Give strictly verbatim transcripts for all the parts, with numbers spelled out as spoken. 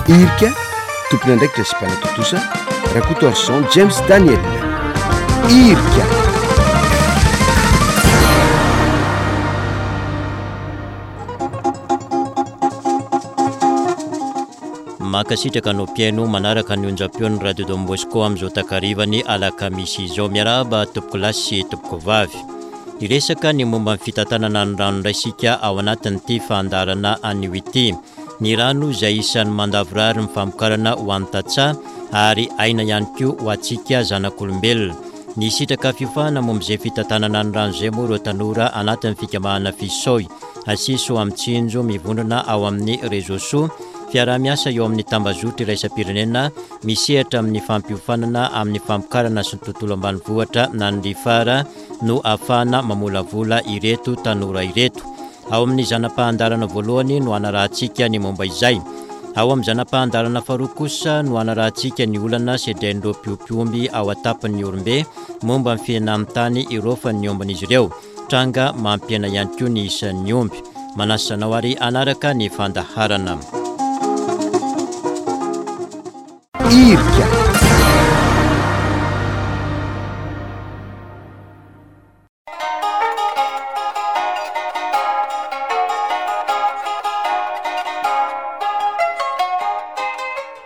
Irika, tompon'andraikitra sy mpanatontosa, Rakotoarison James Daniel. Irika. Mankasitraka anao mpihaino manaraka ny onjam-peon'ny Radio Don Bosco amin'izao takarivan'ny alakamisy izao. Miarahaba tompokolahy sy tompokovavy. Hiresaka ny momba ny fitantanana ny rano indray isika ao anatin'ity fandaharana anio ity. Ny rano izay isan'ny mandavorary ny famokarana ho an'ny tantsaha ary aina ihany koa ho antsika zanak'olombelona. Nisitraka fiofanana momba izay fitantanana ny rano izay moa ireo tanora anatin'ny fikambanana Fisoy, Asiso amin'ny tsinjo mivondrona ao amin'ny Réseau Soa, fiaraha-miasa eo amin'ny tambazotra iraisam-pirenena misehatra amin'ny fampiofanana amin'ny famokarana sy ny tontolo ambanivohitra na ny Rifara no ahafahana mamolavola ireto tanora ireto. Ao amin'ny zana-pahandarana voalohany no hanarahantsika ny momba izay. Ao amin'ny zana-pahandarana faharoa kosa no hanarahantsika ny olana sedrain'ireo mpiompy omby ao an-tapon'ny Orombe momba ny fihenan'ny tany iraofan'ny ombin'izy ireo. Tranga mampihena ihany koa ny isan'ny omby. Manasa anao ary hanaraka ny fandaharana. Irika.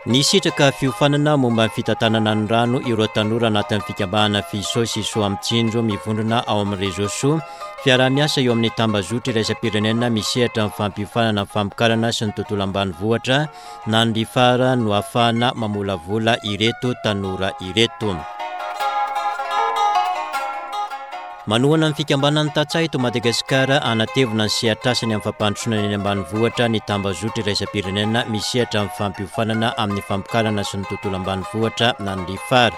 Nisitraka fiofanana momba ny fitantanana ny rano ireo tanora anatin'ny fikambanana Fisoy sy Soa Mitsinjo mivondrona ao amin'ny Réseau Soa, fiaraha-miasa eo amin'ny tambazotra iraisam-pirenena misehatra amin'ny fampiofanana ny famokarana sy ny tontolo ambanivohitra na ny Rifara no ahafahana mamolavola ireto tanora ireto. Manohana ny fikambanan'ny tantsaha eto Madagasikara hanatevina ny sehatrasany amin'ny fampandrosoana ny eny ambanivohitra ny tambazotra iraisam-pirenena misehatra amin'ny fampiofanana amin'ny famokarana sy ny tontolo ambanivohitra na ny Rifara.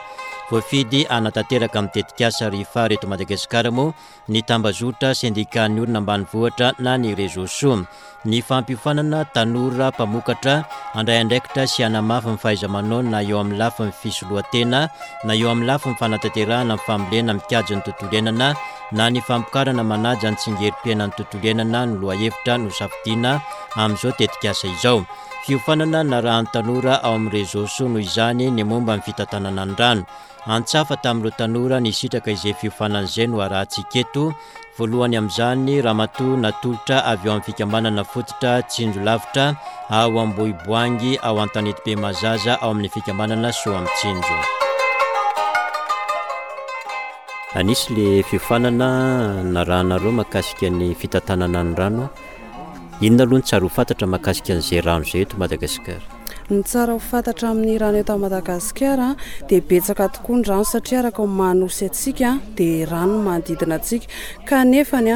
Voafidy hanatanteraka amin'ny tetikasa Rifara eto Madagasikara moa ny tambazotra sendikan'ny olona ambanivohitra na ny Réseau Soa. Ny fampiofanana tanora mpamokatra handray andraikitra sy hanamafy ny fahaiza-manao na eo amin'ny lafiny fisolohan-tena na eo amin'ny lafiny fanatanterahana ny fambolena mikajy ny tontolo iainana na ny famokarana manaja ny tsingerim-piainan'ny tontolo iainana no lohahevitra nosafidiana amin'izao tetikasa izao. Fiofanana narahan'ny tanora ao amin'ny Réseau Soa noho izany ny momba ny fitantanana ny rano. Antsafa tamin'ireo tanora nisitraka izay fiofanana izay no arahantsika eto. Voalohany amin'izany ramatoa natolotra avy eo amin'ny fikambanana fototra Tsinjo Lavitra ao Ambohiboangy ao Antanetibe Mazaza ao amin'ny fikambanana Soa Mitsinjo. Anisy le fiofanana narahanareo mahakasika ny fitantanana ny rano. Inona aloha ny tsara ho fantatra mahakasika an'izay rano izay eto Madagasikara? Ny tsara ho fantatra amin'ny rano eto Madagasikara dia betsaka tokoa ny rano satria araka ny mahanosy antsika dia rano no manodidina antsika kanefa ny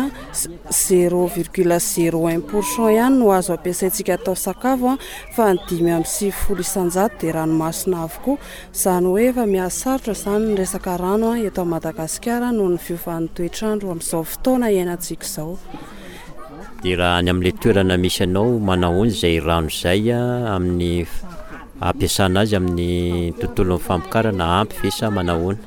zéro virgule zéro un pour cent ihany no azo ampiasaintsika atao sakafo fa ny dimy amby sivifolo isanjato dia ranomasina avokoa. Izany hoe efa mihasarotra izany ny resaka rano eto Madagasikara noho ny fiovan'ny toetrandro amin'izao fotoana iainantsika izao. Dia raha any amin'ilay toerana misy anao manahoana izay rano izay amin'ny ampiasana azy amin'ny tontolon'ny famokarana, ampy ve sa manahoana?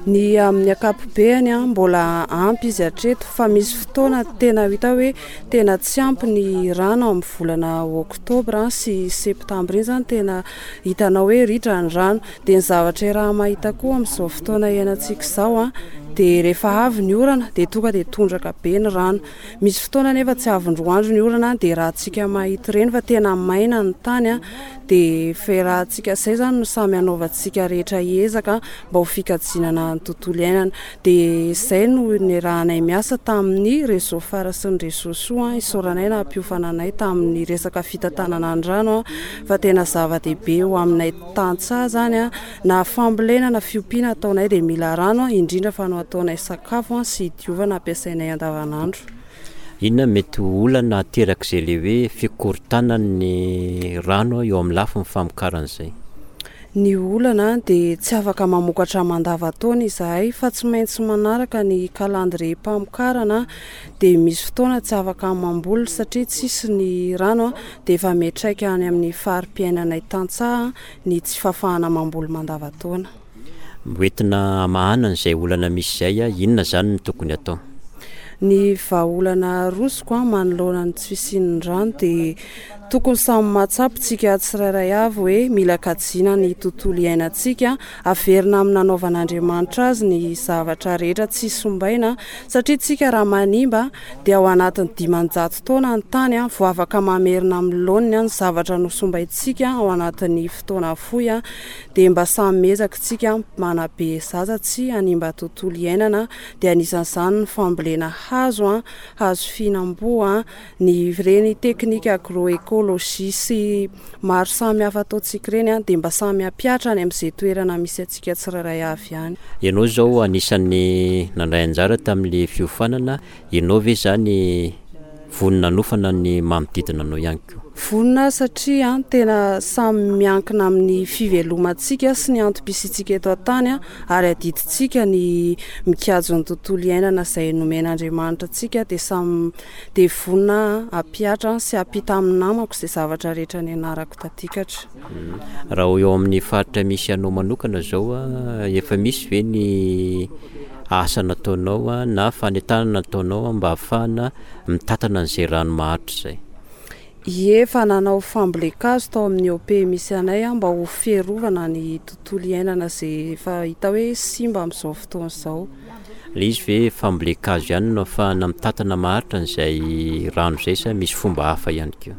Ny amin'ny ankapobeny mbola ampy izy hatreto fa misy fotoana tena hita hoe tena tsy ampy ny rano amin'ny volana oktobra sy septambra iny izany tena hitanao hoe ritra ny rano. Dia ny zavatra raha mahita koa amin'izao fotoana iainantsika izao dia rehefa avy ny orana dia tonga dia tondraka be ny rano. Misy fotoana nefa tsy avy indroa andro ny orana dia raha tsika mahita ireny fa tena maina ny tany dia ferahantsika izay izany no samy hanaovantsika rehetra ezaka mba ho fikajianana ny tontolo iainana. Dia izay no niarahanay miasa tamin'ny Réseau Phare sy ny Réseau Soa, isaoranay nampiofana anay tamin'ny resaka fitantanana ny rano fa tena zava-dehibe ho aminay tantsaha izany na fambolena na fiompiana ataonay dia mila rano indrindra fa no ataonay sakafo sy idiovana ampiasainay andavanandro. Inona mety ho olana aterak'izay le hoe fikorontanan'ny rano eo amin'ny lafiny famokarana izay? Ny olana dia tsy afaka mamokatra mandavantaona izahay fa tsy maintsy manaraka ny kalandrie-pamokarana dia misy fotoana tsy afaka mamboly satria tsisy ny rano dia efa miantraika any amin'ny fari-piainanay tantsaha ny tsy fahafahana mamboly mandavantaona. Hoentina hamahana an'izay olana misy izay, inona izany no tokony atao? Ny vahaolana arosoko manoloana ny tsy fisian'ny rano dia Tokony samy mahatsapa tsika tsirairay avy hoe mila kajiana ny tontolo iainantsika, averina amin'ny nanaovan'Andriamanitra azy ny zavatra rehetra tsy sombaina, satria tsika raha manimba dia ao anatin'ny dimanjato taona ny tany vao afaka mamerina amin'ny laoniny ny zavatra nosombaintsika ao anatin'ny fotoana fohy. Dia mba samy miezaka tsika manabe zaza tsy hanimba tontolo iainana, dia anisan'izany ny fambolena hazo, hazo fihinam-boa, ny ireny teknika agroécologie sy maro samy hafa ataontsika ireny, dia mba samy hampihatra any amin'izay toerana misy antsika tsirairay avy any. Ianao izao anisan'ny nandray anjara tamin'ilay fiofanana, ianao ve izany vonona hanofana ny manodidina anao ihany koa? Vonona satria tena samy miankina amin'ny fivelomantsika sy ny antom-pisiantsika eto an-tany, ary adidintsika ny mikajy ny tontolo iainana izay nomen'Andriamanitra antsika, dia samy dia vonona hampihatra sy hampita amin'ny namako izay zavatra rehetra nianarako tatikatra. Raha eo amin'ny faritra misy anao manokana izao, efa misy ve ny asa nataonao na fanentanana nataonao mba ahafahana mitantana an'izay rano maharitra izay? Ie, efa nanao fambolen-kazo tao amin'ny O P misy anay mba ho fiarovana ny tontolo iainana izay efa hita hoe simba amin'izao fotoana izao. Ilay izy ve fambolen-kazo ihany no ahafahana mitantana maharitra an'izay rano izay sa misy fomba hafa ihany koa?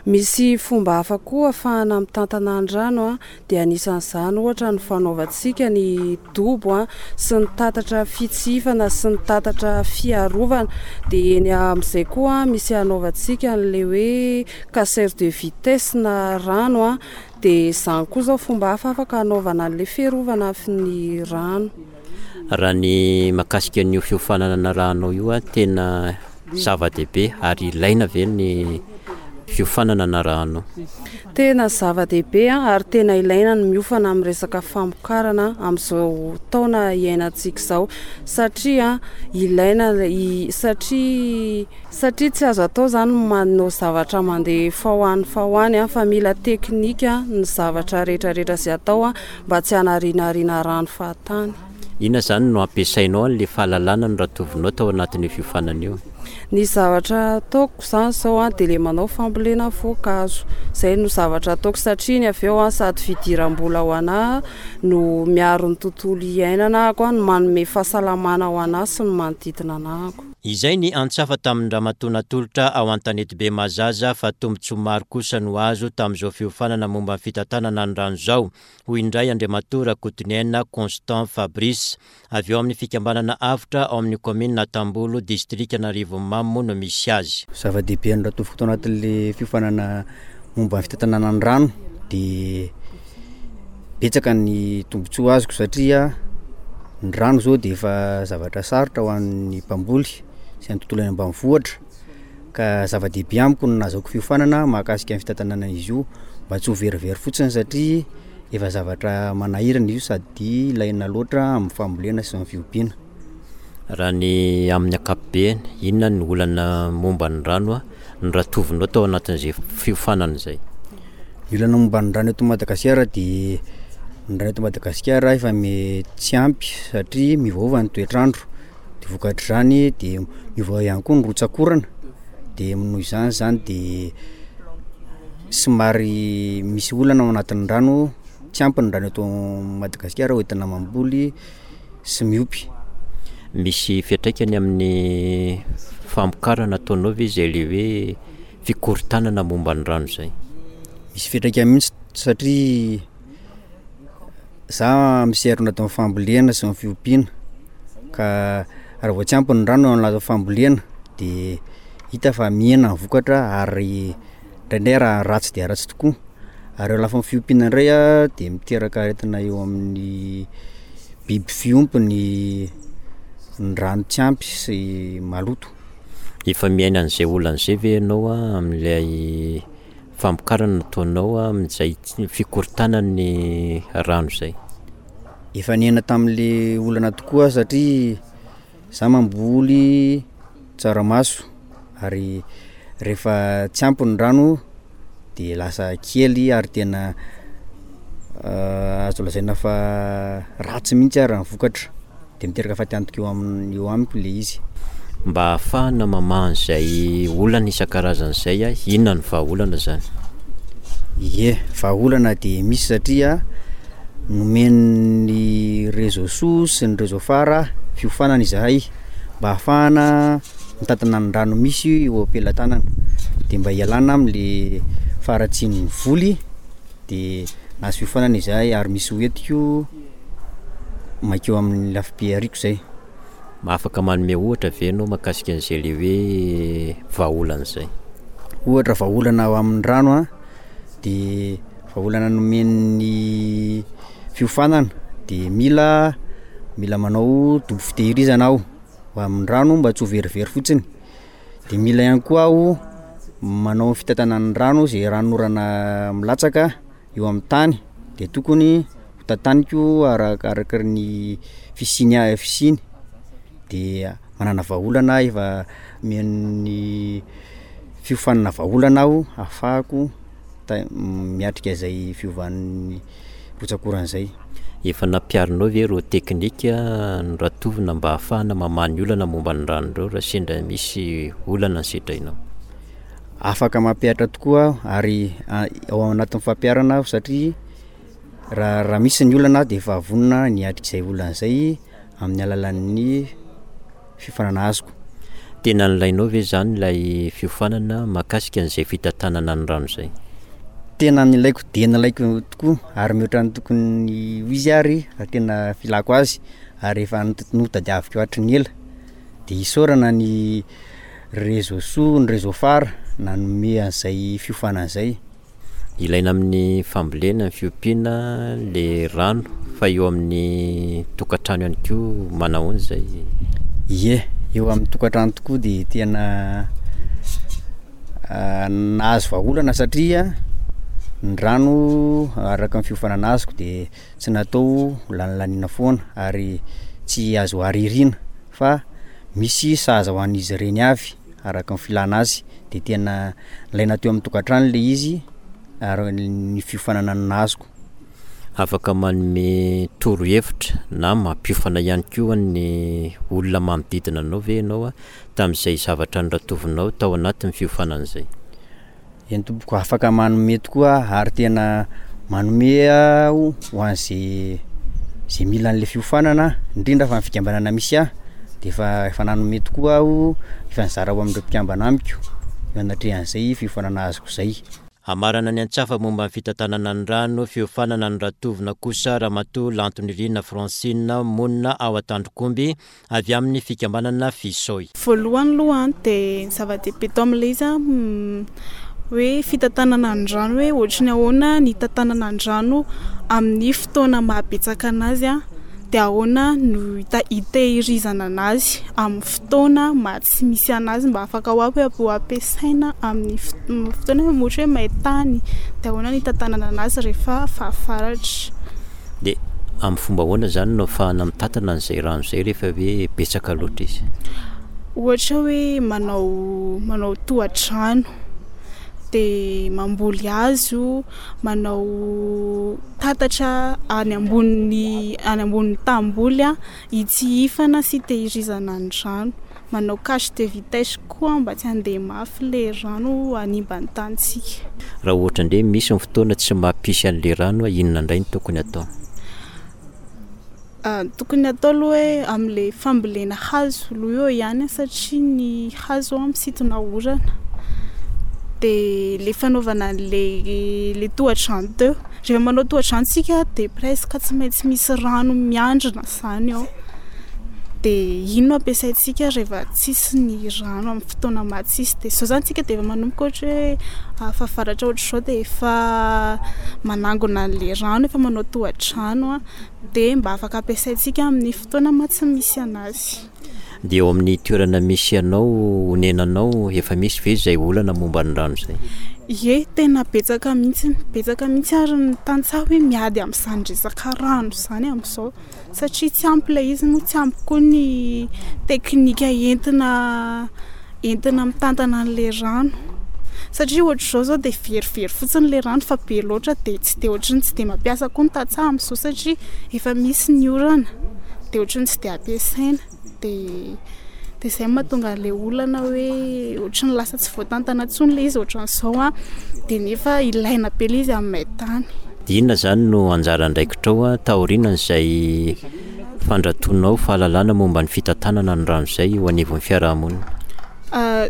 Misy fomba hafa koa ahafahana mitantana ny rano, dia anisan'izany ohatra ny fanaovantsika ny dobo sy ny tatatra fitsifana sy ny tatatra fiarovana, dia eny amin'izay koa misy anaovantsika an'ilay hoe casseur de vitesse na rano, dia izany koa izao fomba hafa afaka anaovana an'ilay fiarovana ny rano. Raha ny mahakasika an'io fiofanana narahanao io, tena zava-dehibe ary ilaina ve ny fiofanana narahanao? Tena zava-dehibe ary tena ilaina ny miofana amin'ny resaka famokarana amin'izao taona iainantsika izao, satria ilaina i-, satria, satria tsy azo atao izany manao zavatra mandeha fa ho any fa ho any, fa mila teknika ny zavatra rehetrarehetra izay atao mba tsy hanarinarina rano fahatany. Inona izany no ampiasainao an'ilay fahalalana noratovinao tao anatin'io fiofanana io? Ny zavatra ataoko izany izao dia ilay manao fambolena voankazo. Izay no zavatra ataoko satria ny avy eo sady fidiram-bola ho anahy no miaro ny tontolo iainana ako, no manome fahasalamana ho anahy sy ny manodidina anahako. Izay ny antsafa tamin'ny ramatoa natolotra ao Antanetibe Mahazaza fa tombontsoa maro kosa no azo tamin'izao fiofanana momba ny fitantanana ny rano izao, hoy indray Andriamatoa Rakotoniaina Constant Fabrice, avy eo amin'ny fikambanana avotra ao amin'ny kaominina Tambolo, distrikan'Arivonimamo no misy azy. Zava-dehibe ny ratovoko tao anatin'ilay fiofanana momba ny fitantanana ny rano dia betsaka ny tombontsoa azoko satria ny rano izao dia efa zavatra sarotra ho an'ny mpamboly sy ny tontolo any ambanivohitra, ka zava-dehibe amiko ny nahazoako fiofanana mahakasika ny fitantanana izy io mba tsy ho verivery fotsiny satria efa zavatra manahirana izy io sady ilaina loatra amin'ny fambolena sy ny fiompiana. Raha ny amin'ny ankapobeny, inona ny olana momba ny rano ny ratovinao tao anatin'izay fiofanana izay? Ny olana momba ny rano eto Madagasikara dia ny rano eto Madagasikara efa me-, tsy ampy satria miovaova ny toetr'andro, dia vokatr'izany dia miova ihany koa ny rotsakorana, dia noho izany izany dia somary misy olana ao anatin'ny rano, tsy ampy ny rano eto Madagasikara hoentina mamboly sy miompy. Misy fiantraikany amin'ny famokarana ataonao ve izay ilay hoe fikorontanana momba ny rano izay? Misy fiantraikany mihitsy satria za misehatra anatin'ny fambolena sy ny fiompiana, ka raha vao tsy ampy ny rano ao anatin'ny fambolena dia hita fa mihena ny vokatra ary indraindray raha ratsy dia ratsy tokoa. Ary eo lafiny fiompiana indray a dia miteraka aretina eo amin'ny biby fiompy ny, ny rano tsy ampy sy maloto. Efa miaina an'izay olana izay ve ianao amin'ilay famokarana nataonao amin'izay fikorontanan'ny rano izay? Efa niaina tamin'ilay olana tokoa satria za mamboly tsaramaso ary rehefa tsy ampy ny rano dia lasa kely ary tena, eh, azo lazaina fa ratsy mihitsy ary ny vokatra, dia miteraka fatiantoka eo aminy, eo amiko ilay izy. Mba hahafahana mamaha an'izay olana isan-karazany izay, inona ny vahaolana izany? Ie, vahaolana dia misy satria nomen'ny Réseau Soa sy ny Réseau Phare fiofanana izahay mba hahafahana mitantana ny rano misy eo am-pelatanana de mba hialana am'le faharatsian'ny voly de nahazo fiofanana izahay ary misy hoentiko mankeo amin'ny lafim-pihariako zay. Afaka manome ohatra ve ianao mahakasika an'izay le hoe vahaolana izay? Ohatra vahaolana ao amin'ny rano a, de vahaolana nomen'ny fiofanana de mila mila manao dobo fitehirizana aho ho amin'ny rano mba tsy ho verivery fotsiny, de mila ihany koa aho manao fitantanana ny rano zay ranonorana milatsaka eo amin'ny tany de tokony ho tantaniko arakaraky ny fisiany a- fisiany de manana vahaolana aho efa omen'ny fiofanana vahaolana aho ahafahako ta- miatrika zay fiovan'ny rotsak'orana zay. Efa nampiharinao ve ireo teknika noratovina mba hahafahana mamaha ny olana momba ny rano ireo raha sendra misy olana ny sedrainao? Afaka mampihatra tokoa aho ary ao anatin'ny fampiharana aho satria raha raha misy ny olana de efa vonona ny hiatrika izay olana zay amin'ny alalan'ny fiofanana azoko. Tena nilainao ve zany ilay fiofanana mahakasika an'izay fitantanana ny rano izay? Tena nilaiko de nilaiko tokoa ary mihoatra ny tokony ho izy ary raha tena filako azy ary efa not- notadiaviko hatry ny ela, de isaorana ny Réseau Soa, ny Réseau Phare nanome an'zay fiofanana zay. Ilaina amin'ny fambolena, ny fiompiana le rano fa eo amin'ny tokantrano ihany koa manahoana izay? Ie, eo amin'ny tokantrano tokoa de tena nahazo vahaolana satria ny rano araka ny fiofanana azoko de tsy natao ho lanilaniana foana ary tsy azo aririna fa misy sahaza ho an'izy ireny avy araka ny filana azy de tena nilaina teo amin'ny tokantrano le izy ary ny fiofanana nazoko. Afaka manome torohevitra na mampiofana ihany koa ny olona manodidina anao ve ianao a tamin'izay zavatra noratovinao tao anatin'ny fiofanana izay? Eny tompoko, afaka manome tokoa aho ary tena manome aho ho an'zay zay mila an'le fiofanana indrindra fa ny fikambanana misy ahy de efa efa nanome tokoa aho, efa nizara ho amin'ireo mpikambana amiko eo anatrehan'izay fiofanana azoko zay. Hamarana ny antsafa momba ny fitantanana ny rano, fiofanana noratovina kosa Ramatoa Lantonirina Francine monina ao Antandrokomby avy amin'ny fikambanana Fisoy. Voalohany aloha de ny zava-dehibe tao amin'ilay izy a hoe fitantanana ny rano hoe ohatry ny ahoana ny hitantanana ny rano amin'ny fotoana mahabetsaka anazy a de ahoana no hita- hitehirizana anazy amin'ny fotoana maha tsy misy anazy mba afaka ho ampy ho ampiasaina amin'ny fot- fotoana hoe ohatra hoe maintany de ahoana ny hitantanana anazy rehefa fahavaratra. De amin'ny fomba ahoana zany no ahafahana mitantana an'izay rano izay rehefa hoe betsaka loatra izy? Ohatra hoe manao manao tohadrano de mamboly hazo, manao tatatra any ambony any ambonin'ny tamboly a hitsihifana sy hitehirizana ny rano, manao cache de vitesse koa mba tsy handeha mafy le rano hanimba ny tanintsika. Raha ohatra indray misy ny fotoana tsy mampisy an'le rano, inona indray no tokony atao? Ah, tokony atao aloha hoe amin'le fambolena hazo aloha eo ihany satria ny hazo a misintona orana de le fanaovana an'le le tohadrano teo, rehefa manao tohadrano tsika de presque tsy maintsy misy rano miandrona zany ao de iny no ampiasaintsika rehefa tsisy ny rano amin'ny fotoana maha tsisy de zao zany tsika de efa manomboka ohatra hoe ah, fahavaratra ohatr'izao de efa manangona an'le rano, efa manao tohadrano a de mba afaka ampiasaintsika amin'ny fotoana maha tsy misy anazy. De eo amin'ny toerana misy anao onenanao efa misy ve izay olana momba ny rano izay? Ie, tena betsaka mihitsy, betsaka mihitsy ary ny tantsaha hoe miady amin'izany resaka rano izany amin'izao satria tsy ampy ilay izy moa tsy ampy koa ny teknika entina entina mitantana an'le rano satria ohatr'izao zao de verivery fotsiny le rano fa be loatra de tsy de ohatry ny tsy de mampiasa koa ny tantsaha amin'izao satria efa misy ny orana de ohatry ny tsy de ampiasaina de Dia izay no mahatonga an'ilay olana hoe ohatran'ny lasa tsy voatantana intsony ilay izy ohatran'izao an, dia nefa ilaina be ilay izy amin'ny main-tany. Dia inona izany no anjara andraikitrao taorian'izay fandratoanao fahalalana momba ny fitantanana ny rano izay eo anivon'ny fiarahamonina?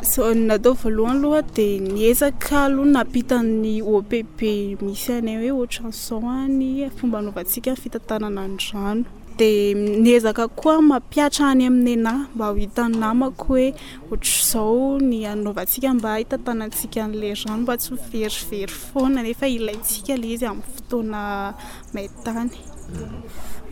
Izao ny natao voalohany aloha dia niezaka aloha nampita ny O P B misy anay hoe ohatran'izao ny fomba anaovantsika ny fitantanana ny rano. Dia niezaka koa mampihatra any amin'ny N A mba ho hitan'ny namako hoe ohatr'izao ny anaovantsika mba hitantanantsika an'ilay rano mba tsy ho verivery foana nefa ilaintsika ilay izy amin'ny fotoana main-tany.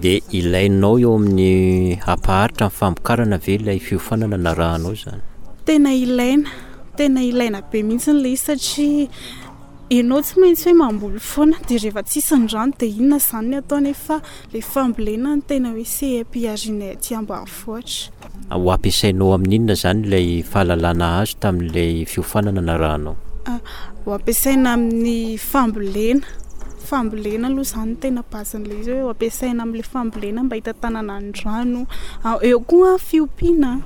Dia ilainao eo amin'ny hampaharitra ny famokarana ve ilay fiofanana narahanao izany? Tena ilaina, tena ilaina be mihitsy ilay izy satria ianao tsy maintsy hoe mamboly foana, dia rehefa tsisy ny rano dia inona izany ny atao nefa ilay fambolena no tena hoe seha-piharianay aty ambanivohitra. Ho ampiasainao amin'inona izany ilay fahalalana azo tamin'ilay fiofanana narahanao? Ho ampiasaina amin'ny fambolena. Fambolena aloha izany no tena base-n'ilay izy hoe ho ampiasaina amin'ilay fambolena mba hitantanana ny rano. Eo koa fiompiana,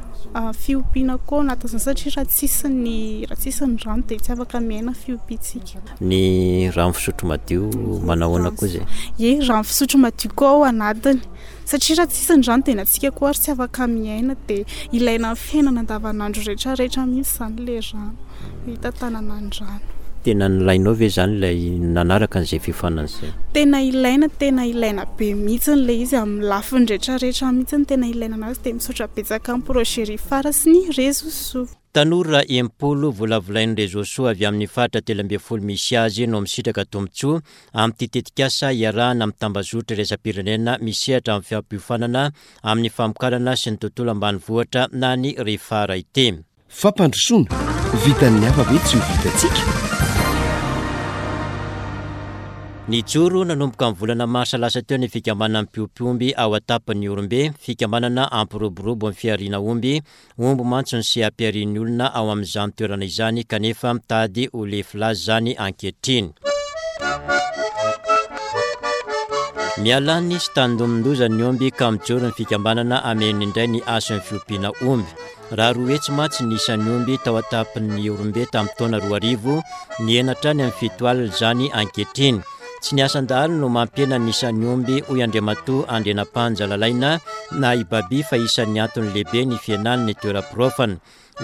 fiompiana koa ao anatin'izany satria raha tsisy ny, raha tsisy ny rano dia tsy afaka miaina fiompiantsika. Ny rano fisotro madio manao ahoana koa izay? Ie, rano fisotro madio koa ao anatiny. Satria raha tsisy ny rano dia na tsika koa ary tsy afaka miaina, dia ilaina amin'ny fiainana andavanandro rehetrarehetra mihitsy izany ilay rano, hitantanana ny rano. Tena nilainao ve izany ilay nanaraka an'izay fiofanana izay? Tena ilaina, tena ilaina be mihitsy ilay izy amin'ny lafiny rehetrarehetra mihitsy no tena ilaina anazy, dia misaotra betsaka amin'ny projet Rifara sy ny Réseau Soa. Tanora enimpolo volavolain'ny Réseau Soa avy amin'ny faritra telo ambin'ny folo misy azy no misitraka tombontsoa amin'ity tetikasa iarahana amin'ny tambazotra iraisam-pirenena misehatra amin'ny fampiofanana amin'ny famokarana sy ny tontolo ambanivohitra na ny Rifara ity. Fampandrosoana, vitan'ny hafa ve tsy ho vitantsika? Nijoro nanomboka ny volana marsa lasa teo ny fikambanana mpiompy omby ao an-tapon'ny Ihorombe, fikambanana ampiroborobo ny fihariana omby. Omby mantsy ny seha-piharian'ny olona ao amin'izany toerana izany kanefa mitady ho lefy laza izany ankehitriny. Miala ny sy tandindomin-doza ny omby ka mijoro ny fikambanana hamerina indray ny hasin'ny fiompiana omby. Raha roa hetsy mantsy ny isan'ny omby tao an-tapon'ny Ihorombe tamin'ny taona roa arivo, nihena hatrany amin'ny fito alina izany ankehitriny. Tsy ny asan-dahalo no mampihena ny isan'ny omby, hoy Andriamatoa Andrianampanja Lalaina na i Baby, fa isan'ny antony lehibe ny fihenan'ny toeram-piraofana.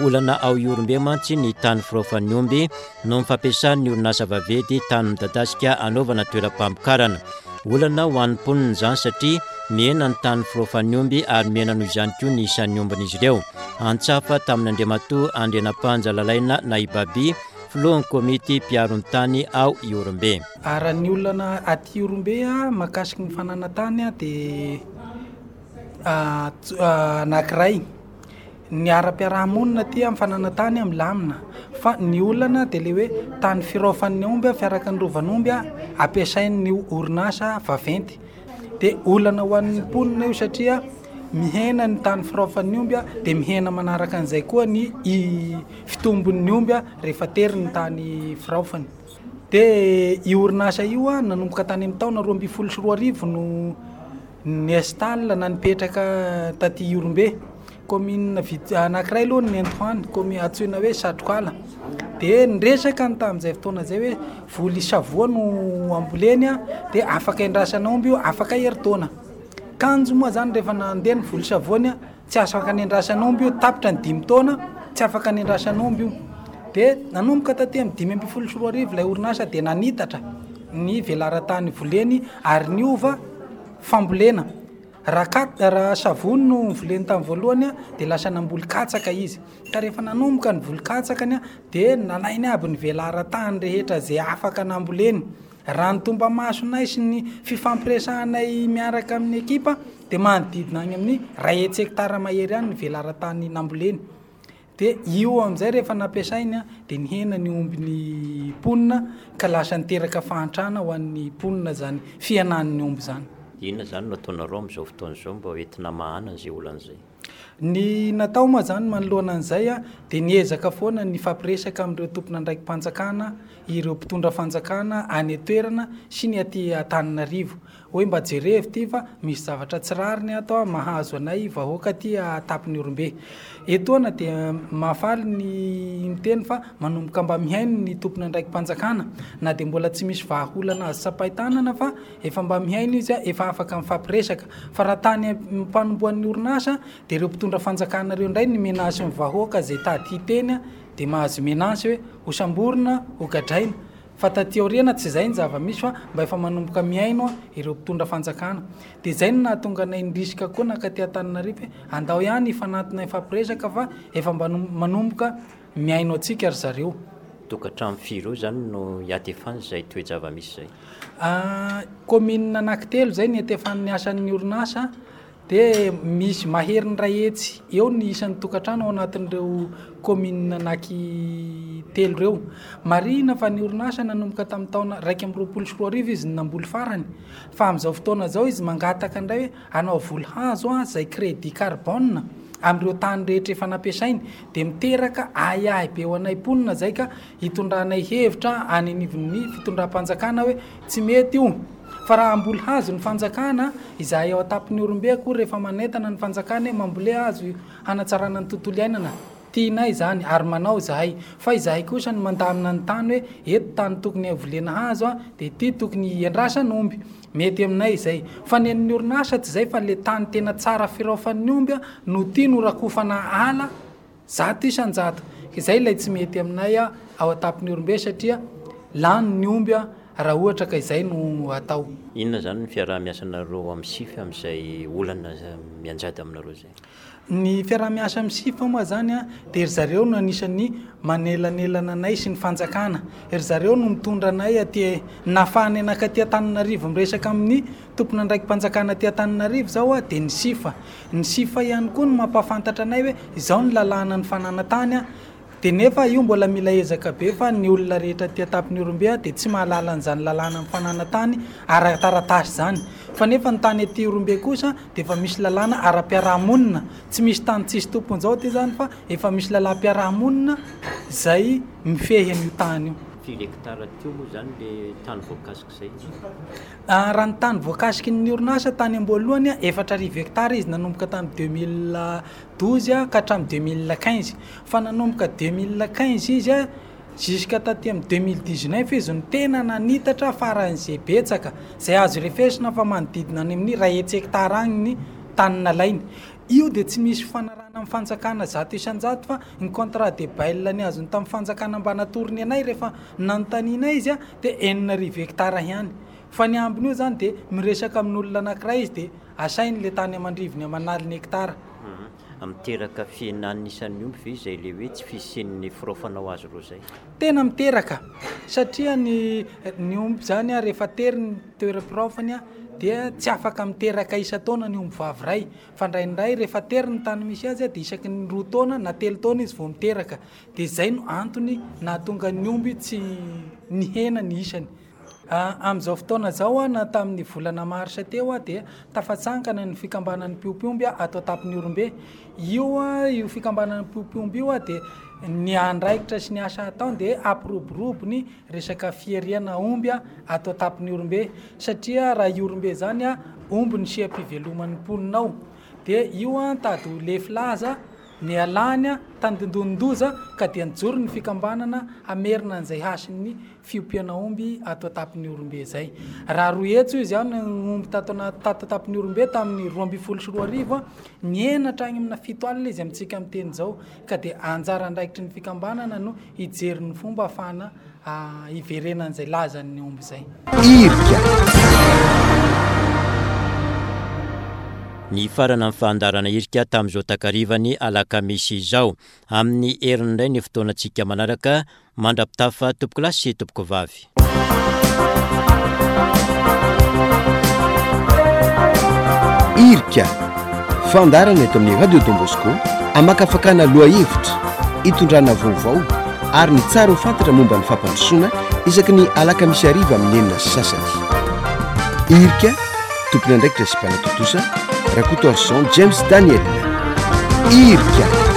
Olana ao Ihorombe mantsy ny tany firaofan'ny omby noho ny fampiasan'ny orinasa vaventy tany midadasika hanaovana toeram-pamokarana. Olana ho an'ny mponina izany satria mihena ny tany firaofan'ny omby ary mihena noho izany koa ny isan'ny ombin'izy ireo. Antsafa tamin'Andriamatoa Andrianampanja Lalaina na i Baby, filohan'ny komity mpiaro ny tany ao Ihorombe. Raha ny olana aty Ihorombe mahakasiky ny fananan-tany dia anankiray. Ny ara-piarahamonina aty amin'ny fananan-tany milamina, fa ny olana dia ilay hoe tany firaofan'ny omby, fiaraka ny rovan'omby ampiasain'ny orinasa vaventy. Dia olana ho an'ny mponina io satria mihena ny tany firaofan'ny omby, dia mihena manaraka an'izay koa ny fitombon'ny omby rehefa tery ny tany firaofany. Dia io orinasa io nanomboka tany amin'ny taona roa ambin'ny folo sy roa arivo no niinstalle na nipetraka taty Ihorombe. Commune vitsy anankiray aloha no nentiko any, commune antsoina hoe Satrokala. Dia niresaka ny tamin'izay fotoana izay hoe voly savoa no amboleny, dia afaka endrasana omby io, afaka herintaona. Kanjo moa zany rehefa nandeha ny voly savoany, tsy afaka nendrasana omby io, tapitra ny dimy taona, tsy afaka nendrasana omby io. Dia nanomboka taty amin'ny dimy ambin'ny folo sy roa arivo ilay orinasa dia nanitatra ny velaran-tany voleny ary niova fambolena. Raha kat-, raha savony no novoleny tamin'ny voalohany dia lasa namboly katsaka izy. Ka rehefa nanomboka ny voly katsakany dia nalainy aby ny velaran-tany rehetra izay afaka namboleny. Raha ny tomba-masonay sy ny fifampiresahanay miaraka amin'ny ekipa dia manodidina any amin'ny iray hetsy hektara mahery any ny velaran-tany namboleny. Dia io amin'izay rehefa nampiasainy dia nihena ny ombin'ny mponina ka lasa niteraka fahantrana ho an'ny mponina zany fihenan'ny omby zany. Inona zany no ataonareo amin'izao fotoana izao mba hoentina mahana an'izay olana izay? Ny natao moa zany manoloana an'izay a dia niezaka foana ny fampiresaka amin'ireo tompon'andraiki-panjakana, ireo mpitondra fanjakana any an-toerana sy ny aty Antananarivo hoe mba jerevo ty fa misy zavatra tsy rariny ato a mahazo anay vahoaka aty Tamponiorombe. Etoana dia mahafaly ny miteny fa manomboka mba mihaino ny tompon'andraiki-panjakana na dia mbola tsy misy vahaolana azo tsapain-tanana fa efa mba mihaino izy a, efa afaka mifampiresaka. Fa raha tany am-panombohan'ny orinasa dia ireo mpitondra fanjakana ireo indray ny menace ny vahoaka izay tady hiteny a, dia mahazo menace hoe ho samborina, ho gadraina. Fa taty aoriana tsy izay ny zava-misy fa mba efa manomboka mihaino ireo mpitondra fanjakana. Dia izay no nahatonga anay nirisika koa nankaty Antananarivo hoe andao ihany hifanatona hifampiresaka fa efa mba manomboka mihaino antsika ry zareo. Tokantrano firy eo zany no hiatefany izay toe-java-misy izay? Ah, commune anankitelo izay ny hiatefan'ny asan'ny orinasa, dia misy maherin'ny iray hetsy eo ny isan'ny tokantrano ao anatin'ireo commune anankitelo ireo. Marihina fa ny orinasa nanomboka tamin'ny taona iraika amby roapolo sy roa arivo izy no namboly farany, fa amin'izao fotoana izao izy mangataka indray hoe hanao voly hazo a, izay crédit carbone amin'ireo tany rehetra efa nampiasainy, dia miteraka ahiahy be ho anay mponina izay ka hitondranay hevitra any anivon'ny fitondram-panjakana hoe tsy mety io. Fa raha hamboly hazo ny fanjakana, izahay ao Tamponiorombe akory rehefa manentana ny fanjakana hoe mambole hazo hanatsarana ny tontolo iainana, tianay izany ary manao izahay. Fa izahay kosa no mandamina ny tany hoe eto tany tokony havolena hazo a, dia ity tokony hiandrasana omby. Mety aminay izay. Fa ny an'ny orinasa tsy izay fa le tany tena tsara firaofan'ny omby a, no tiany ho rakofana ala zato isan-jato. Izay ilay tsy mety aminay a, ao Tamponiorombe satria lany ny omby a, raha ohatra ka izay no atao. Inona zany ny fiaraha-miasanareo amin'ny S I F amin'izay olana mianjady aminareo izay? Ny fiaraha-miasa amin'ny S I F moa zany a, dia ry zareo no anisan'ny manelanelana anay sy ny fanjakana. Ry zareo no mitondra anay aty, nahafahana nankaty Antananarivo miresaka amin'ny tompon'andraiki-panjakana aty Antananarivo izao a, dia ny S I F. Ny S I F ihany koa no mampahafantatra anay hoe izao ny lalàna ny fananantany a. Dia nefa io mbola mila ezaka be fa ny olona rehetra aty Tamponiorombe a dia tsy mahalala an'izany lalàna amin'ny fananantany ara-taratasy izany. Fa nefa ny tany aty Ihorombe kosa dia efa misy lalàna ara-piarahamonina. Tsy misy tany tsisy tompony izao aty izany fa efa misy lalàm-piarahamonina izay mifehy an'io tany io. Firy hectare teo moa izany le tany voakasika izay? Ah, raha ny tany voakasiky ny orinasa tany am-boalohany a, efatra arivo hectare izy nanomboka tamin'ny deux mille douze a, ka hatramin'ny deux mille quinze. Fa nanomboka deux mille quinze izy a, jusqu'à taty amin'ny deux mille dix-neuf izy no tena nanitatra faran'izay betsaka, izay azo refesina fa manodidina any amin'ny iray hetsy hectare agny ny tany nalainy. Io dia tsy misy fanarahana amin'ny fanjakana zato isan-jato fa ny contrat de bail ny azony tamin'ny fanjakana mba natorony anay rehefa nanontaniana izy a, dia enina arivo hectare ihany. Fa ny ambiny io zany dia miresaka amin'olona anankiray izy dia asainy le tany aman-drivony aman'aliny hectare. Mhm. Miteraka fihenan'ny isan'ny omby ve izay le hoe tsy fisian'ny firaofana ho azy ireo izay? Tena miteraka, satria ny, ny omby zany a, rehefa tery ny toeram-piraofany a, dia tsy afaka miteraka isan-taona ny omby vavy iray. Fa indraindray rehefa tery ny tany misy azy a, dia isaky ny roa taona na telo taona izy vao miteraka. Dia izay no antony nahatonga ny omby tsy nihena ny isany. Ah, amin'izao fotoana izao a, na tamin'ny volana marsa teo a, dia tafatsangana ny fikambanan'ny mpiompy omby a, ato Tamponiorombe. Io a, io fikambanan'ny mpiompy omby io a, dia ny andraikitra sy ny asa ataony dia hampiroborobo ny resaka fihariana omby a, ato Tamponiorombe. Satria raha Ihorombe zany a, omby ny seha-piveloman'ny mponina ao. Dia io a, tady ho lefy laza, ny alany a, tandindonin-doza, ka dia nijoro ny fikambanana hamerina an'izay hasin'ny fiompiana omby ato Tamponiorombe izay. Raha roa hetsy hoy izy aho ny omby tato ana-, tato Tamponiorombe tamin'ny roa ambin'ny folo sy roa arivo a, nihena hatrany amina fito alina izy amintsika miteny izao, ka dia anjara andraikitry ny fikambanana no hijery ny fomba ahafahana, ah, hiverenan'izay lazan'ny omby izay. Irika. Ny farana ny fandaharana irika tamin'izao takarivany alakamisy izao. Amin'ny heriny indray ny fotoanantsika manaraka, mandra-pitafa tompoko lahy sy tompoko vavy. Irika, fandaharana eto amin'ny Radio Don Bosco, amakafakana lohahevitra, hitondrana vaovao ary ny tsara ho fantatra momba ny fampandrosoana isaky ny alakamisy hariva amin'ny enina sy sasany. Irika, tompon'andraikitra sy mpanatontosa, Rakotoarison James Daniel. Irika.